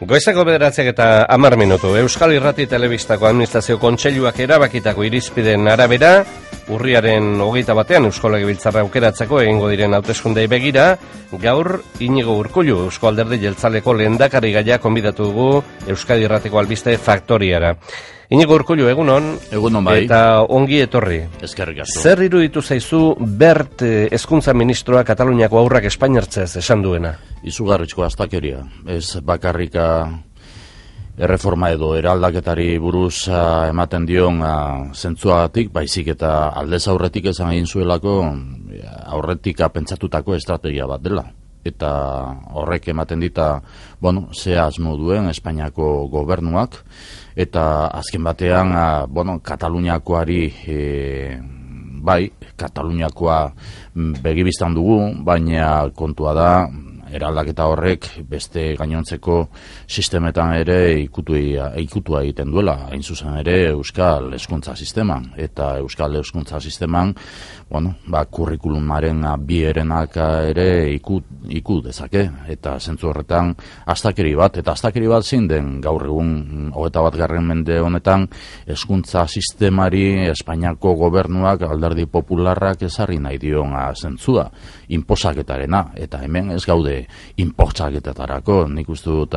Goizeko 9:10 Euskal Irrati Telebistako Administrazio Kontseiluak erabakitako irizpideen arabera, urriaren 21 Eusko Legebiltzarra aukeratzeko egingo diren hauteskundei begira, gaur Iñigo Urkullu Eusko Alderdi Jeltzaleko lehendakarigaia konbidatu dugu Euskadi Irratiko albiste faktoriara. Iñigo Urkullu, egunon. Egunon bai. Eta ongi etorri. Eskerrik asko. Zer iruditu zaizu Bert hezkuntza ministroa Kataluniako haurrak espainiartzez esan duena? Izugarrizko astakeria. Ez bakarrika erreforma edo eraldaketari buruz ematen dion zentzuagatik, baizik eta aldez aurretik esan egin zuelako aurretik pentsatutako estrategia bat dela. Eta horrek ematen dita, ze asmo duen Espainiako gobernuak, eta azken batean, Kataluniakoari, Kataluniakoa begibistan dugu, baina kontua da, eraldaketa horrek beste gainontzeko sistemetan ere ikutua egiten duela, hain zuzen ere Euskal Hezkuntza Sisteman. Eta Euskal Hezkuntza Sisteman, kurrikulumaren bi herenak ere iku dezake. Eta zentzu horretan astakeri bat zein den gaur egun 21. mende honetan hezkuntza sistemari Espainiako gobernuak Alderdi Popularrak ezarri nahi dion zentzua, inposaketarena, eta hemen ez gaude inposaketarako, nik uste dut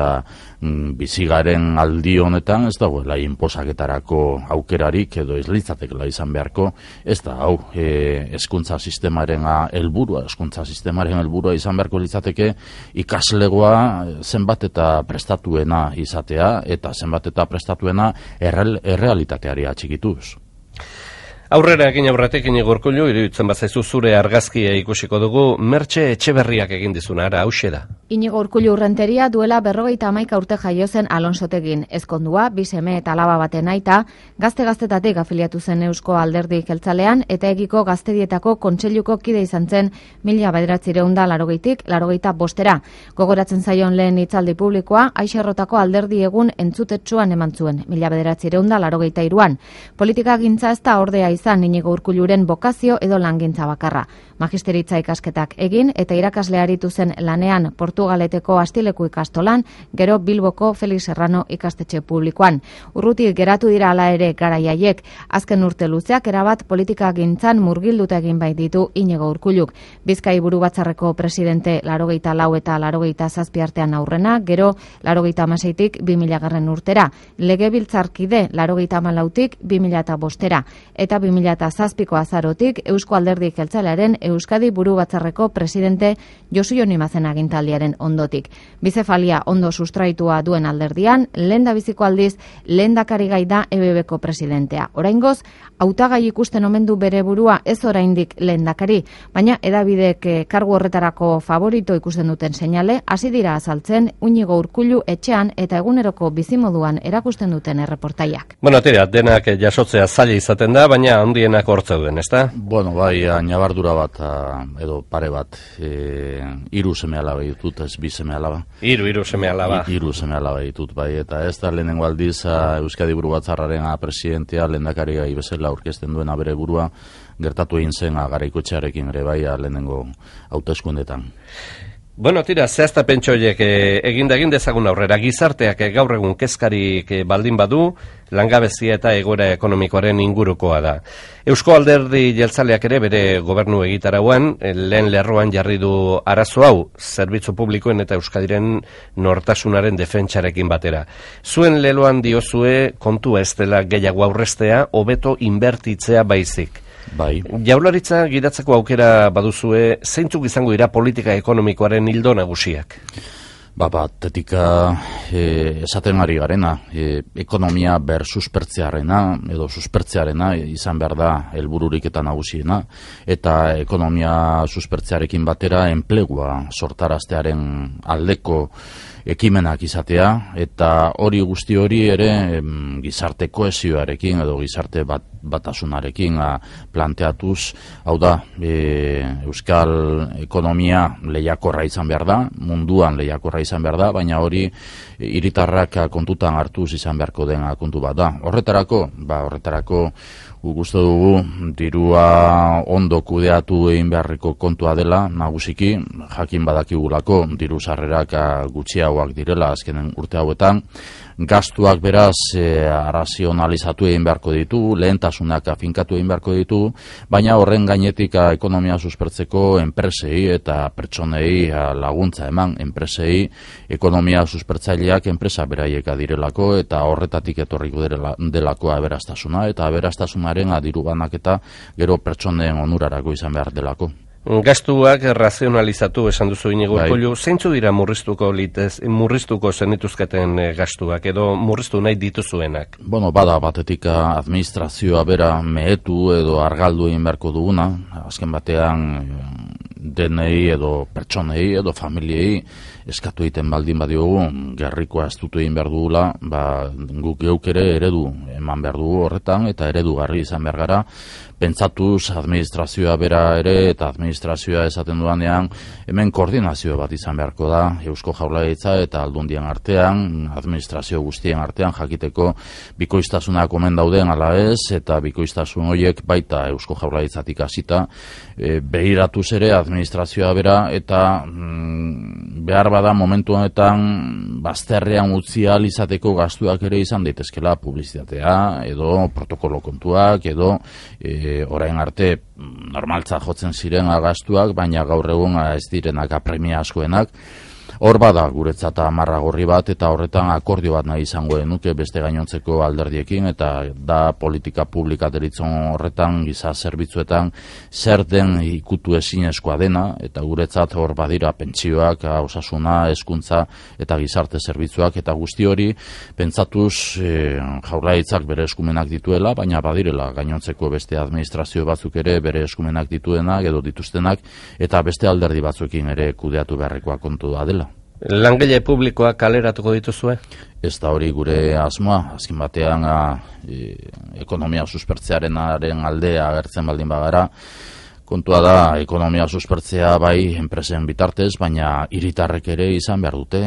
bizigaren aldi honetan ez dagoela inposaketarako aukerarik edo ez litzatekela izan beharko, ez da hau hezkuntza sistemaren helburua izan beharko litzateke ikaslegoa zenbat eta prestatuena izatea eta zenbat eta prestatuena errealitateari atxikituz. Aurrera egin aurretik Iñigo Urkullu, iruditzen bazaizu zure argazkia ikusiko dugu, Mertxe Etxeberriak egin dizuna, hauxe da. Iñigo Urkullu Urrenteria duela 51 urte jaio zen Alonsotegin, ezkondua, bi seme eta alaba baten aita, gazte-gaztetatik afiliatu zen Eusko Alderdi Jeltzalean eta egiko gaztedietako kontseiluko kide izan zen 1980tik 85era. Gogoratzen zaion lehen hitzaldi publikoa, Aixerrotako alderdi egun entzutetsuan eman zuen 1983an. Politika gintza ez da ordea izan Iñigo Urkulluren bokazio edo langintza bakarra. Magisteritza ikasketak egin eta irakasle aritu zen lanean Portugaleteko Astileku ikastolan, gero Bilboko Felix Serrano ikastetxe publikoan. Urrutik geratu dira hala ere garaiaiek, azken urte luzeak erabat politika gintzan murgilduta egin bai ditu Iñigo Urkulluk. Bizkai buru batzarreko presidente 84 eta 87 artean aurrena, gero 86tik 2000 urtera, legebiltzarkide 84tik 2005era, eta 2007ko azarotik Eusko Alderdi Jeltzalearen Euskadi buru batzarreko presidente Josu Jon Imazen agintaldiaren ondotik. Bizefalia ondo sustraitua duen alderdian, lehendabiziko aldiz lehendakarigai da EBBko presidentea. Oraingoz, hautagai ikusten omen du bere burua ez oraindik lehendakari, baina hedabidek kargu horretarako favorito ikusten duten seinale, hasi dira azaltzen Iñigo Urkullu etxean eta eguneroko bizimoduan erakusten duten erreportaiak. Denak jasotzea zaila izaten da, baina handienak hortzeuden, ezta? Bai, nabardura bat edo pare bat, 3 seme-alaba ditut, ez 2 seme-alaba. 3 seme-alaba. 3 seme-alaba ditut, bai, eta ez da lehenengo aldiz Euskadi buru batzarraren presidentea lehendakarigai bezala aurkezten duena bere burua, gertatu egin zen Garaikoetxearekin ere bai lehenengo hauteskundetan. Zehazta pentsoiek egin dezagun aurrera, gizarteak gaur egun kezkarik baldin badu, langabezia eta egoera ekonomikoaren ingurukoa da. Eusko Alderdi Jeltzaleak ere bere gobernu egitarauan, lehen lerroan jarri du arazo hau, zerbitzu publikoen eta Euskadiren nortasunaren defentsarekin batera. Zuen leloan diozue kontua ez dela gehiago aurrestea, hobeto inbertitzea baizik. Bai. Jaurlaritza gidatzeko aukera baduzue, zeintzuk izango dira politika ekonomikoaren ildo nagusiak? Tetika esaten ari garena, ekonomia suspertzearena edo suspertzearena izan behar da helbururik eta nagusiena, eta ekonomia suspertzearekin batera enplegua sortaraztearen aldeko ekimenak izatea, eta hori guzti hori ere gizarte kohesioarekin edo gizarte batasunarekin planteatuz, hau da, euskal ekonomia lehiakorra izan behar da, munduan lehiakorra izan behar da, baina hori hiritarrak kontutan hartuz izan beharko den kontu bat da. Horretarako Guk uste dugu dirua ondo kudeatu egin beharriko kontua dela, nagusiki jakin badakigulako diru sarrerak gutxiagoak direla azkenen urte hauetan. Gastuak beraz arrazionalizatu egin beharko ditu, lehentasunak afinkatu egin beharko ditu, baina horren gainetik ekonomia suspertzeko enpresei eta pertsonei laguntza eman, enpresei ekonomia suspertzaileak enpresa beraieka direlako eta horretatik etorriko delako aberastasuna eta aberastasunaren diru banaketa gero pertsonen onurarako izan behar delako. Gastuak razionalizatu esan duzu Inigo Urkullu, zeintzu dira murriztuko zenituzketen gastuak edo murriztu nahi dituzuenak? Bueno, bada batetik administrazioa bera mehetu edo argaldu egin beharko duguna, azken batean denei edo pertsonei edo familiei eskatu egiten baldin badiogu gerrikoa estutu egin behar dugula, guk geuk ere eredu eman behar dugu horretan eta eredugarri izan behar gara, pentsatuz administrazioa bera ere eta administrazioa esaten duanean hemen koordinazio bat izan beharko da Eusko Jaurlaritza eta Aldundien artean, administrazio guztien artean jakiteko bikoiztasunak omen dauden ala ez eta bikoiztasun horiek baita Eusko Jaurlaritzatik hasita behiratuz ere administrazioa bera eta behar bada momentu honetan bazterrean utzi ahal izateko gastuak ere izan daitezkela publizitatea edo protokolo kontuak edo orain arte normaltza jotzen ziren gastuak, baina gaur egun ez direnak apremia askoenak. Hor bada guretzat amarra gorri bat eta horretan akordio bat nahi izango nuke beste gainontzeko alderdiekin eta da politika publika deritzon horretan giza zerbitzuetan zer den ikutu ezinezkoa dena eta guretzat hor badira pentsioak, osasuna, hezkuntza eta gizarte zerbitzuak eta guzti hori pentsatuz Jaurlaritzak bere eskumenak dituela, baina badirela gainontzeko beste administrazio batzuk ere bere eskumenak dituenak edo dituztenak eta beste alderdi batzuekin ere kudeatu beharrekoa kontu da dela. Langile publikoak kaleratuko dituzue? Ez da hori gure asmoa, azken batean ekonomia suspertzearen aldea agertzen baldin bagara, kontua da ekonomia suspertzea bai enpresen bitartez, baina hiritarrek ere izan behar dute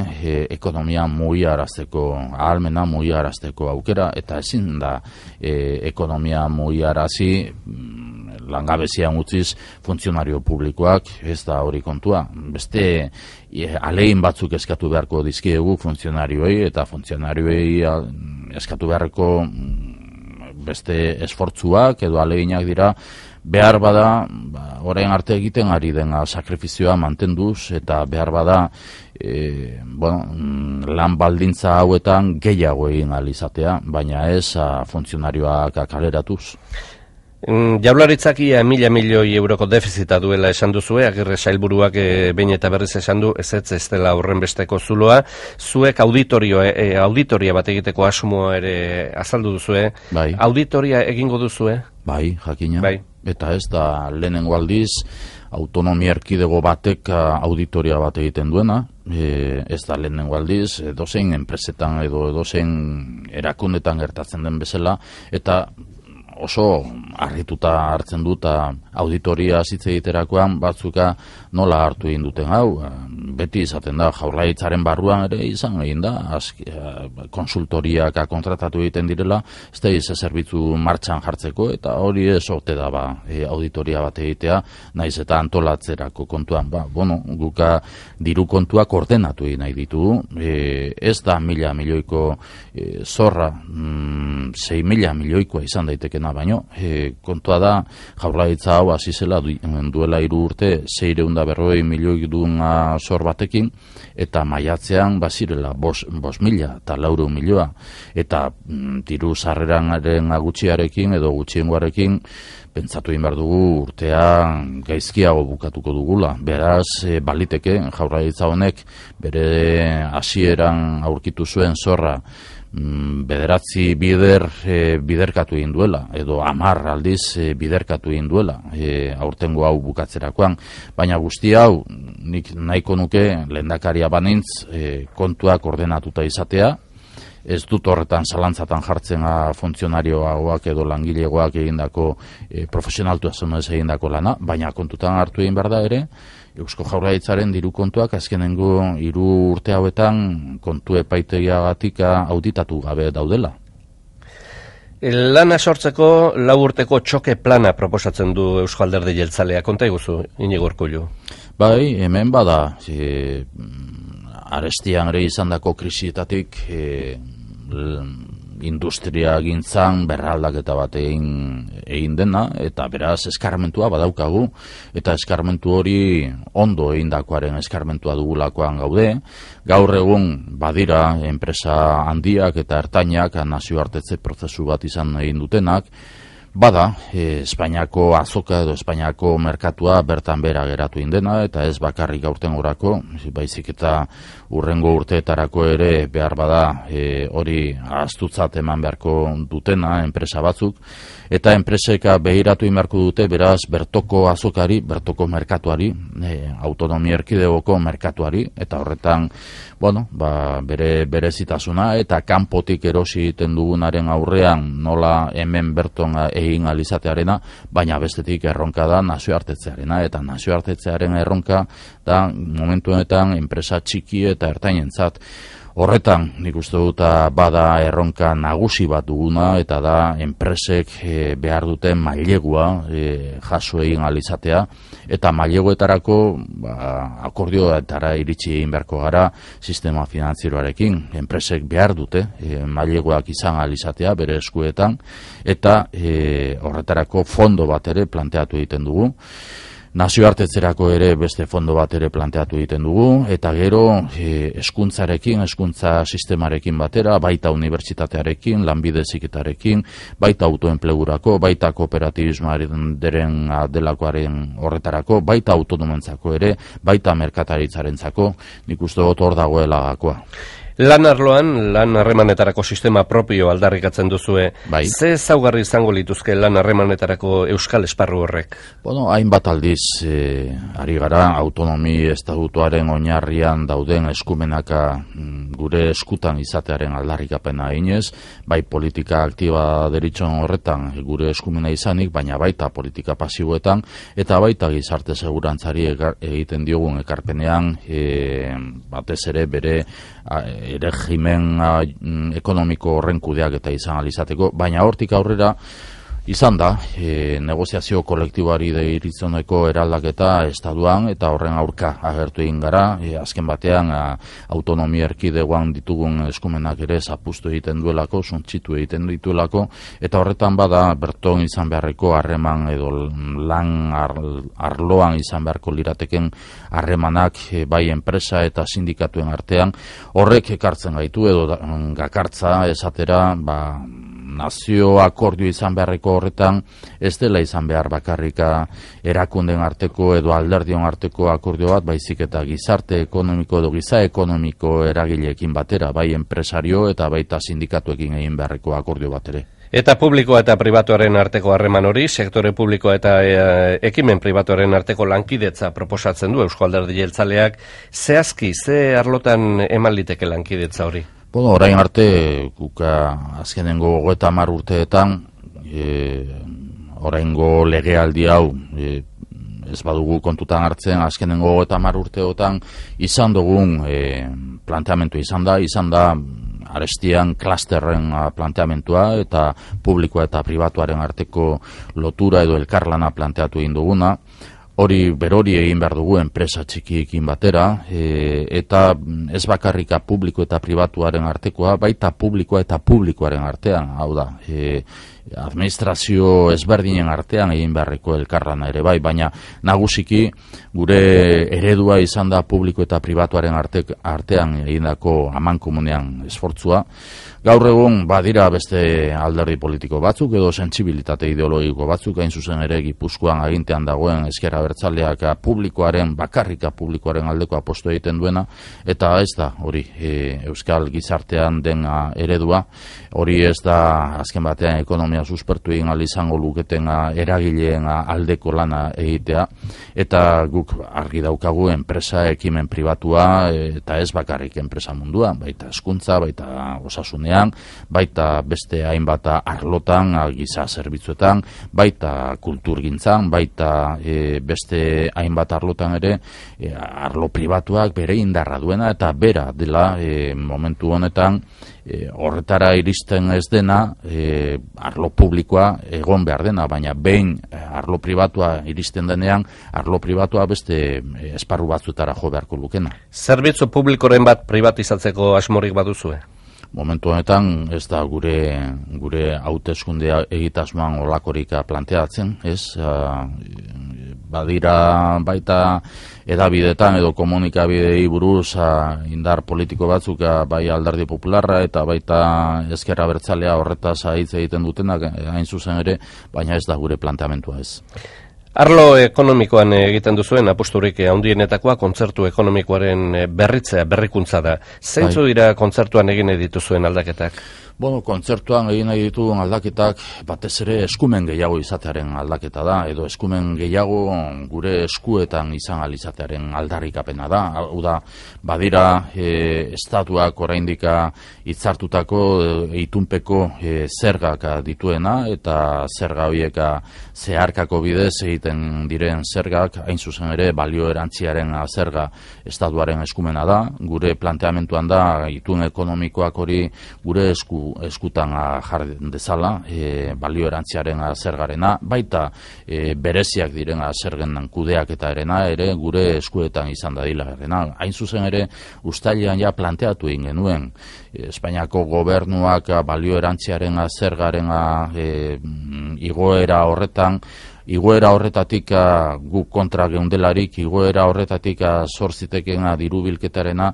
ekonomia mugiarazteko ahalmena, mugiarazteko aukera, eta ezin da ekonomia mugiarazi langabezian utziz funtzionario publikoak, ez da hori kontua. Beste alegin batzuk eskatu beharko dizkiegu funtzionarioei eta funtzionarioei eskatu beharko beste esfortzuak edo aleginak dira behar bada orain arte egiten ari dena sakrifizioa mantenduz eta behar bada lan baldintza hauetan gehiago egin ahal izatea, baina ez funtzionarioak kaleratuz. Jaurlaritzak ia 1.000 milioi euroko defizita duela esan duzue, Agirre sailburuak behin eta berriz esan du, ez dela horrenbesteko zuloa. Zuek auditoria bat egiteko asmoa ere azaldu duzue. Bai. Auditoria egingo duzue? Bai, jakina. Bai. Eta ez da lehenengo aldiz autonomia erkidego batek auditoria bat egiten duena, ez da lehenengo aldiz, edozein enpresetan edo edozein erakundetan gertatzen den bezala, eta oso harrituta hartzen dut auditoria hitz egiterakoan batzuka nola hartu egin duten hau. Beti izaten da Jaurlaritzaren barruan ere izan egin da konsultoriak kontratatu egiten direla, ez da zerbitzu martxan jartzeko eta hori ez ote da auditoria bat egitea, naiz eta antolatzerako kontuan. Guka diru kontuak ordenatu egin nahi ditugu, ez da 1.000 milioiko zorra, 6.000 milioikoa izan daitekena baino, kontua da Jaurlaritza hau hasi zela duela 3 urte 640 milioi duen zor batekin eta maiatzean bazirela 5.000 eta 400 milioa eta diru sarreraren gutxiarekin edo gutxiengoarekin pentsatu egin behar dugu urtea gaizkiago bukatuko dugula. Beraz, baliteke Jaurlaritza honek bere hasieran aurkitu zuen zorra 9 biderkatu egin duela, edo 10 aldiz biderkatu egin duela aurtengo hau bukatzerakoan, baina guzti hau nik nahiko nuke lehendakaria banintz kontuak ordenatuta izatea, ez dut horretan zalantzatan jartzen funtzionarioak edo langilegoak egindako profesionaltasunez egindako lana, baina kontutan hartu egin behar da ere, Eusko Jaurlaritzaren diru kontuak azkenengo 3 urte hauetan kontu epaitegiagatik auditatu gabe daudela. Lana sortzeko 4 urteko txoke plana proposatzen du Eusko Alderdi Jeltzalea. Konta iguzu, Inigo Urkullu. Bai, hemen bada, arestian ere izandako krisietatik industria gintzan berraldaketa bat egin dena, eta beraz eskarmentua badaukagu, eta eskarmentu hori ondo egindakoaren eskarmentua dugulakoan gaude. Gaur egun badira enpresa handiak eta ertainak nazioartetze prozesu bat izan egin dutenak, bada, Espainiako azoka edo Espainiako merkatua bertan bera geratu indena, eta ez bakarrik aurten gorako, baizik eta urrengo urteetarako ere behar bada hori ahaztutzat eman beharko dutena enpresa batzuk, eta enpreseka behiratu inberko dute beraz bertoko azokari, bertoko merkatuari, autonomia erkidegoko merkatuari, eta horretan, bere zitasuna, eta kanpotik erosi egiten dugunaren aurrean nola hemen berton egin alizatearena, baina bestetik erronka da nazioartetzearena, eta nazioartetzearen erronka da momentu honetan enpresa txiki eta ertainentzat. Horretan, nik uste dut bada erronka nagusi bat duguna, eta da enpresek behar duten mailegua jaso egin alizatea, eta maileguetarako akordioetara iritsi egin beharko gara sistema finantzieroarekin. Enpresek behar dute maileguak izan alizatea bere eskuetan, eta horretarako fondo bat ere planteatu egiten dugu. Nazioartetzerako ere beste fondo bat ere planteatu egiten dugu, eta gero hezkuntzarekin, hezkuntza sistemarekin batera, baita unibertsitatearekin, lanbide heziketarekin, baita autoenplegurako, baita kooperatibismoaren delakoaren horretarako, baita autonomentzako ere, baita merkataritzarentzako, nik uste dut hor dagoela gakoa. Lan arloan, lan harremanetarako sistema propio aldarrikatzen duzue. Bai. Ze ezaugarri izango lituzke lan harremanetarako euskal esparru horrek? Hainbat aldiz ari gara autonomi estatutuaren oinarrian dauden eskumenaka gure eskutan izatearen aldarrikapena eginez, bai politika aktiba deritxon horretan gure eskumena izanik, baina baita politika pasiboetan, eta baita gizarte segurantzari egiten diogun ekarpenean, batez ere bere regimen ekonomiko horren kudeak eta izan alizateko, baina hortik aurrera izan da, negoziazio kolektiboari deiritzoneko eraldaketa estatuan, eta horren aurka agertu egin gara, azken batean autonomia erkidegoan ditugun eskumenak ere zapustu egiten duelako, suntxitu egiten dituelako, eta horretan bada berton izan beharreko harreman edo lan arloan izan beharko lirateken harremanak bai enpresa eta sindikatuen artean, horrek ekartzen gaitu edo gakartza esatera, nazio akordio izan beharreko horretan, ez dela izan behar bakarrika erakunden arteko edo alderdion arteko akordio bat, baizik eta gizarte ekonomiko edo giza ekonomiko eragileekin batera, bai enpresario eta baita sindikatuekin egin beharreko akordio bat ere. Eta publikoa eta pribatuaren arteko harreman hori, sektore publikoa eta ekimen pribatuaren arteko lankidetza proposatzen du Eusko Alderdi Jeltzaleak. Zehazki, ze arlotan eman liteke lankidetza hori? Orain arte, azkenengo 30 urteetan, oraingo legealdi hau, ez badugu kontutan hartzen, azkenengo 30 urteotan izan dugun planteamentu izan da arestian klasterren planteamentua eta publikoa eta pribatuaren arteko lotura edo elkarlana planteatu egin duguna. Berori egin behar dugu enpresa txikiekin batera, eta ez bakarrika publiko eta pribatuaren artekoa, baita publikoa eta publikoaren artean, hau da, administrazio ezberdinen artean egin beharreko elkarlana ere bai, baina nagusiki gure eredua izan da publiko eta pribatuaren artean egindako amankomunean esfortzua. Gaur egun badira beste alderdi politiko batzuk edo sentsibilitate ideologiko batzuk, hain zuzen ere Gipuzkoan agintean dagoen Ezker Abertzaleak bakarrika publikoaren aldeko aposto egiten duena, eta ez da hori euskal gizartean den eredua, hori ez da azken batean ekonomia ekonomia suspertu egin ahal izango luketen eragileen aldeko lana egitea, eta guk argi daukagu enpresa ekimen pribatua, eta ez bakarrik enpresa munduan, baita hezkuntza, baita osasunean, baita beste hainbat arlotan, giza zerbitzuetan, baita kulturgintzan, baita beste hainbat arlotan ere, arlo pribatuak bere indarra duena, eta bera dela momentu honetan horretara iristen ez dena, arlo publikoa egon behar dena, baina behin arlo pribatua iristen denean, arlo pribatua beste esparru batzuetara jo beharko lukena. Zerbitzu publikoren bat privatizatzeko asmorik baduzue? Momentu honetan ez da gure hauteskundea egitasmoan olakorik planteatzen, ez? Badira baita edabidetan edo komunikabidei buruz indar politiko batzuk bai Alderdi Popularra eta baita Ezker Abertzalea horretaz hitz egiten dutenak hain zuzen ere, baina ez da gure planteamentua ez. Arlo ekonomikoan egiten duzuen apusturik handienetakoa kontzertu ekonomikoaren berritzea, berrikuntza da. Zeintzu dira kontzertuan egin dituzuen aldaketak? Bueno, kontzertuan egin nahi ditugun aldaketak batez ere eskumen gehiago izatearen aldaketa da, edo eskumen gehiago gure eskuetan izan alizatearen aldarrikapena da. Hau da, badira estatuak oraindik hitzartutako itunpeko zergak dituena, eta zerga horiek zeharkako bidez egiten diren zergak, hain zuzen ere balio erantziaren zerga estatuaren eskumena da. Gure planteamentuan da itun ekonomikoak hori gure eskutan jar dezala, balio erantziaren zergarena, baita bereziak diren zergen kudeaketaarena ere gure eskuetan izan dadilarena. Hain zuzen ere uztailean ja planteatu egin genuen Espainiako gobernuak balio erantziaren zergaren igoera horretatik guk kontra geundelarik, igoera horretatik zorzitekeen diru bilketarena,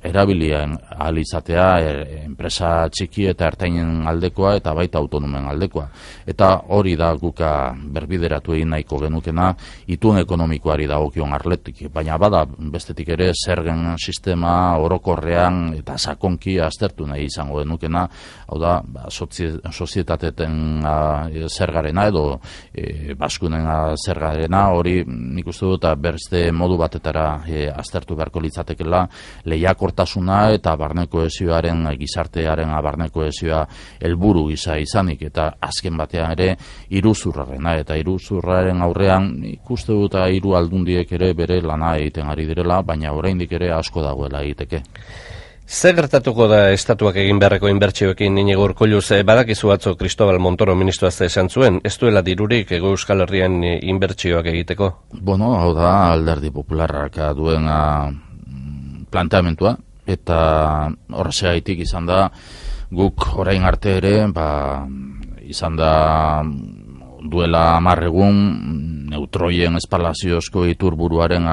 erabilien ahal izatea enpresa txiki eta ertainen aldekoa eta baita autonomen aldekoa. Eta hori da guk berbideratu egin nahiko genukena itun ekonomikoari dagokion arletik, baina bada bestetik ere zergen sistema orokorrean eta sakonki aztertu nahi izango genukena, hau da sozietateten zergarena edo baskunen zergarena, hori nik uste dut beste modu batetara aztertu beharko litzatekela, lehiakortasuna eta barne kohesioaren gizartearen barne kohesioa helburu gisa izanik, eta azken batean ere iruzurrarena, eta iruzurraren aurrean nik uste dut hiru aldundiek ere bere lana egiten ari direla, baina oraindik ere asko dagoela egiteke. Zer gertatuko da estatuak egin beharreko inbertsioekin Iñigo Urkulluz? Badakizu atzo Cristobal Montoro ministroa esan zuen, ez duela dirurik Hego Euskal Herrian inbertsioak egiteko? Bueno, hau da Alderdi Popularrak duen planteamentua, eta horrexegatik izan da guk orain arte ere, izan da duela 10 egun neutroien espalaziozko iturburuaren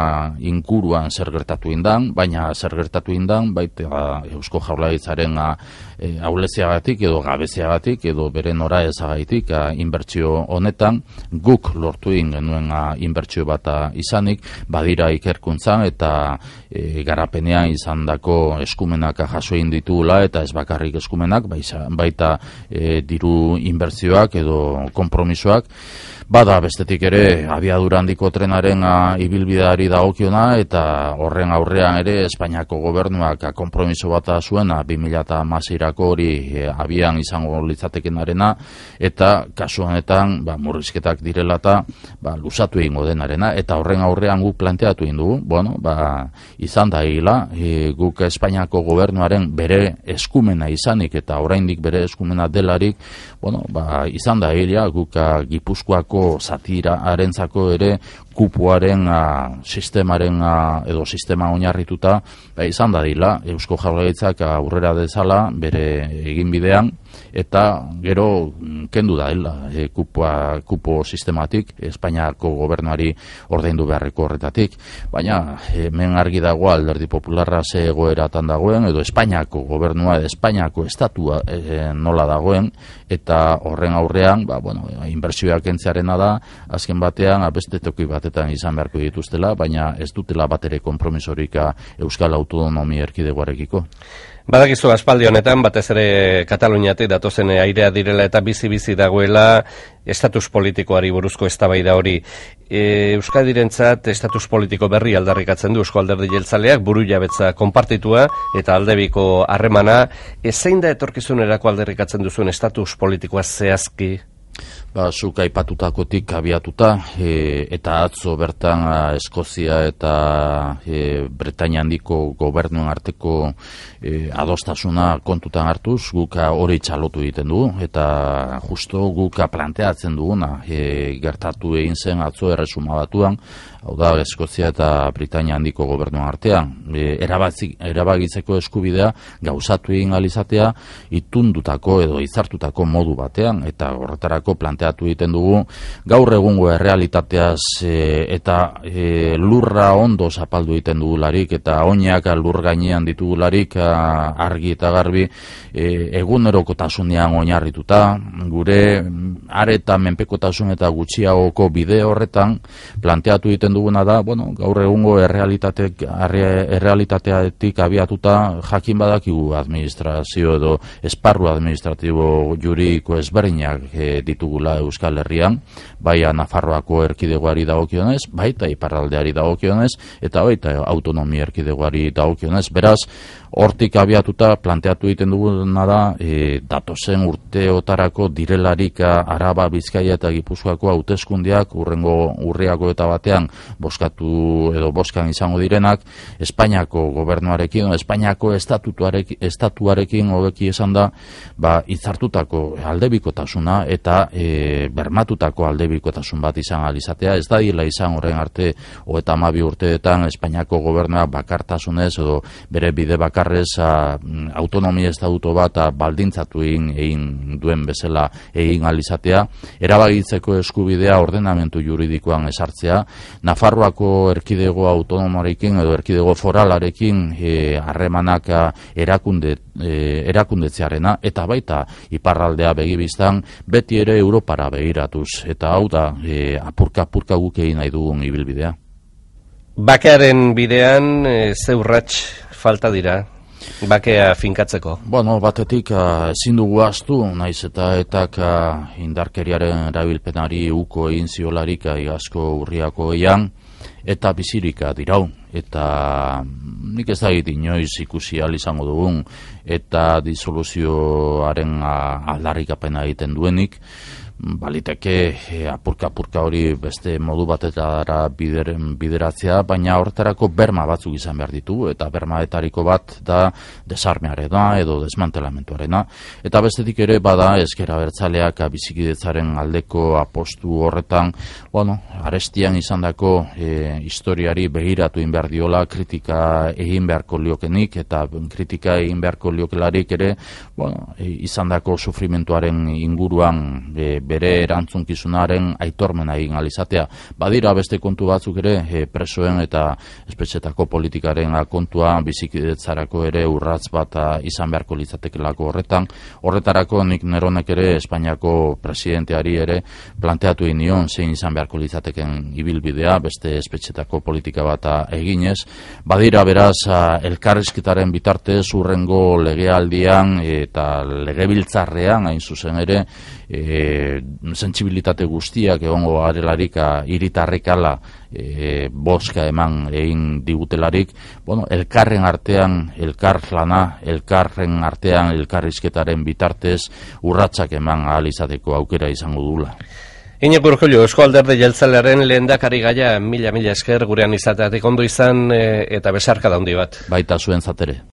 inkuruan zer gertatu indan, baina zer gertatu indan baita Eusko Jaurlaritzaren ahuleziagatik edo gabeziagatik edo bere nora ezagaitik inbertsio honetan guk lortu egin genuen inbertsio bat izanik, badira ikerkuntzan eta garapenean izandako eskumenak jaso egin ditugula, eta ez bakarrik eskumenak, baita diru inbertsioak edo konpromisoak. Bada bestetik ere abiadura handiko trenaren ibilbideari dagokiona, eta horren aurrean ere Espainiako gobernuak konpromiso bat zuen 2016erako hori abian izango litzatekenarena, eta kasu honetan murrizketak direla eta luzatu egingo denarena, eta horren aurrean guk planteatu egin dugu, izan da egila, guk Espainiako gobernuaren bere eskumena izanik eta oraindik bere eskumena delarik, izan da egila guk Gipuzkoako zatira arentzako ere kupoaren sistemaren edo sistema oinarrituta izan dadila Eusko Jaurlaritzak aurrera dezala bere eginbidean, eta gero kendu da kupo sistematik Espainiako gobernuari ordaindu beharreko horretatik, baina hemen argi dago Alderdi Popularra ze egoeratan dagoen, edo Espainiako gobernua, Espainiako estatua nola dagoen, eta horren aurrean inbertsioak kentzearena da azken batean beste toki batetan izan beharko dituztela, baina ez dutela batere konpromisorik Euskal Autonomia Erkidegoarekiko. Badakizu aspaldi honetan, batez ere Kataluniatik datozen airea direla eta bizi-bizi dagoela estatus politikoari buruzko eztabaida hori. Euskadirentzat estatus politiko berri aldarrikatzen du Eusko Alderdi Jeltzaleak, burujabetza konpartitua eta aldebiko harremana. Zein da etorkizunerako aldarrikatzen duzuen estatus politikoa zehazki? Zuk aipatutakotik abiatuta, eta atzo bertan Eskozia eta Britainia handiko gobernuen arteko adostasuna kontutan hartuz, guk hori txalotu egiten dugu, eta justo guk planteatzen duguna gertatu egin zen atzo Erresuma Batuan, hau da Eskozia eta Britainia handiko gobernuen artean, erabakitzeko eskubidea gauzatu egin alizatea itundutako edo izartutako modu batean, eta horretarako planteatu egiten dugu gaur egungo errealitateaz eta lurra ondo zapaldu egiten dugularik eta oinak lur gainean ditugularik argi eta garbi egunerokotasunean oinarrituta gure areta menpekotasun eta gutxiagoko bide horretan planteatu egiten duguna da, gaur egungo errealitateatik abiatuta jakin badakigu administrazio edo esparru administratibo juridiko ezberdinak ditugula Euskal Herrian, baina Nafarroako erkidegoari dagokionez, baita iparraldeari dagokionez, eta baita autonomia erkidegoari dagokionez. Beraz, hortik abiatuta planteatu egiten duguna da, datozen urteotarako direlarik Araba, Bizkaia eta Gipuzkoako hauteskundeak urriako eta batean boskan izango direnak, Espainiako gobernuarekin, Espainiako estatuarekin hobeki esan da, hitzartutako aldebikotasuna eta bermatutako aldebikotasun bat izan alizatea, ez da dila izan horren arte 32 urteetan Espainiako gobernua bakartasunez edo bere bide bakarrez autonomia estatuto bat baldintzatu egin duen bezala egin alizatea, erabakitzeko eskubidea ordenamentu juridikoan esartzea, Nafarroako erkidego autonomoarekin edo erkidego foralarekin harremanak erakundetzearena eta baita iparraldea begibiztan beti ere Europara begiratuz, eta hau da apurka guk egin nahi dugun ibilbidea. Bakearen bidean ze urrats falta dira bakea finkatzeko? Batetik ezin dugu ahaztu, naiz etak indarkeriaren erabilpenari uko egin ziolarik igazko urriako eian, eta bizirika dirau, eta nik ez dakit inoiz ikusi ahal izango dugun, eta disoluzioaren aldarrikapena egiten duenik, baliteke apurka hori beste modu batetara bideratzea, baina horretarako berma batzuk izan behar ditugu, eta bermaetariko bat da desarmearena edo desmantelamentuarena, eta bestetik ere bada ezker abertzaleak bizikidetzaren aldeko apostu horretan, arestian izandako historiari begiratu egin behar diola, kritika egin beharko liokenik, eta kritika egin beharko liokelarik ere, izandako sufrimentuaren inguruan bere erantzunkizunaren aitormena egin alizatea. Badira beste kontu batzuk ere, presoen eta espetxetako politikaren kontua bizikidetzarako ere urratz bat izan beharko litzatekelako horretarako nik neronek ere Espainiako presidenteari ere planteatu egin nion zein izan beharko litzateken ibilbidea, beste espetxetako politika bat eginez. Badira beraz elkarrizketaren bitartez urrengo legealdian eta legebiltzarrean hain zuzen ere sentsibilitate guztiak egongo garelarik hiritarrekala boska eman egin digutelarik, elkarren artean elkarlana, elkarren artean elkarrizketaren bitartez urratsak eman ahal izateko aukera izango dugula. Iñigo Urkullu, Eusko Alderdi Jeltzalearen lehendakari gaia, mila esker gurean izateatik ondo izan eta besarkada handi bat. Baita zuen zatere.